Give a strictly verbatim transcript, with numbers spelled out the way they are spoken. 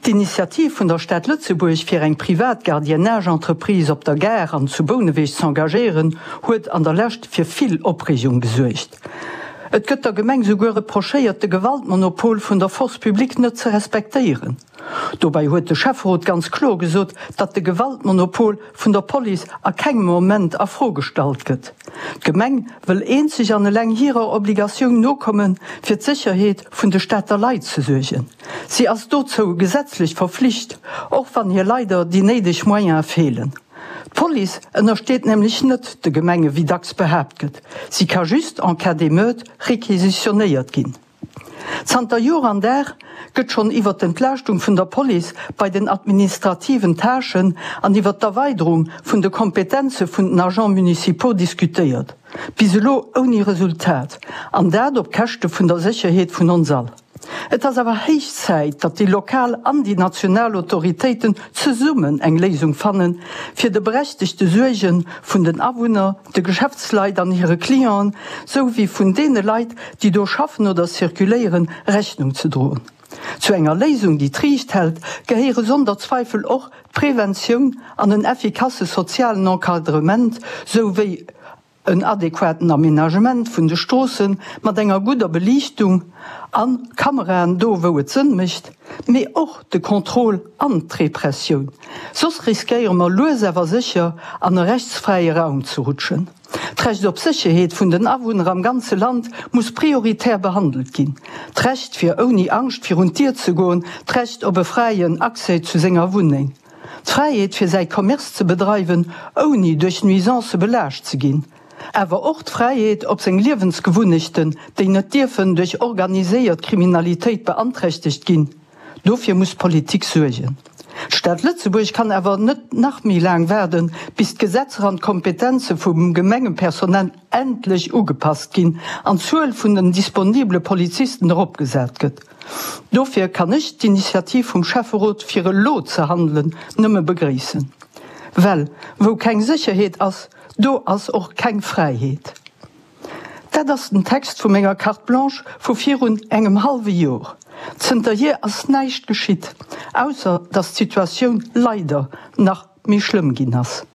D'Initiativ vun der Stad Lëtzebuerg fir eng privat Gardiennage-Entreprise op der Gare an zu Bouneweg z'engagéieren, huet an der Lescht fir vill Opreegung gesuergt. Et gëtt der Gemeng souguer reprochéiert, de Gewaltmonopol vun der Force publique net ze respektéieren. Dobäi huet de Schäfferot ganz kloer gesot, datt de Gewaltmonopol vun der Police a kengem Moment a Fro gestallt gëtt. D'Gemeng wëll eenzeg an eleng hirer Obligatioun nokommen, fir d'Sécherheet vun de Stater Leit ze suergen. Si ass dozou gesetzlech verflicht, och wann hir leider déi néideg Moyene feelen. D'Police ënnersteet nämlech net de Gemenge wéi dacks behaapt gëtt. Si ka just en cas d'émeute requisitionéiert ginn. Zanter Joer an Dag gëtt schonn iwwer d'Entlaaschtung vun der Police bei den administrativen Tâchen an iwwer d'Erweiderung vun de Kompetenze vun den Agents municipaux diskutéiert. Bis elo ouni Resultat, an dat op Käschte vun der Sécherheet vun ons all. Et ass awer héich Zäit, datt déi lokal an déi national Autoritéiten zesummen eng Léisung fannen, fir de berechtegte Suerge vun den Awunner, de Geschäftsleit an hire Clienten, sou wéi vun deene Leit, déi do schaffen oder zirkuléieren, Rechnung ze droen. Zu enger Léisung, déi d'Riicht hält, gehéiere sonder Zweifel och d'Preventioun an en effikasse sozialen Encadrement, sou wéi en adequaten Aménagement vun de Stroosse mat enger gudder Beliichtung a Kameraen do wou et Sënn mécht, mee och de Contrôle an d'Repressioun. Soss riskéiere mer lues awer sécher an e rechtsfräie Raum ze rutschen. D'Recht op Sécherheet vun den Awunner am ganze Land muss prioritär behandelt ginn. D'Recht fir ouni Angscht virun d'Dier ze goen, d'Recht op e fräien Accès zu senger Wunneng. D'Fräiheet fir säi Commerce ze bedreiwen, ouni duerch Nuisancë belaascht ze ginn. Awer och d'Fräiheet op seng Liewensgewunnechten, déi net dierfen duerch organiséiert Kriminalitéit beanträchtegt ginn. Dofir muss d'Politik suergen. D'Stad Lëtzebuerg kann awer net nach méi laang waarden, bis d'Gesetzer an d'Kompetenze vum Gemengepersonal endlech ugepasst ginn an d'Zuel vun den disponibele Polizisten eropgesat gëtt. Dofir kann ech d'Initiativ vum Schäfferot, fir elo ze handelen, nëmme begréissen. Well wou keng Sécherheet ass, do ass och keng Fräiheet. Dat ass den Text vu menger Carte blanche vu virun engem hallwe Jor. Zënterhier ass näischt geschitt, ausser datt d'Situatioun leider nach méi schlëmm ginn ass.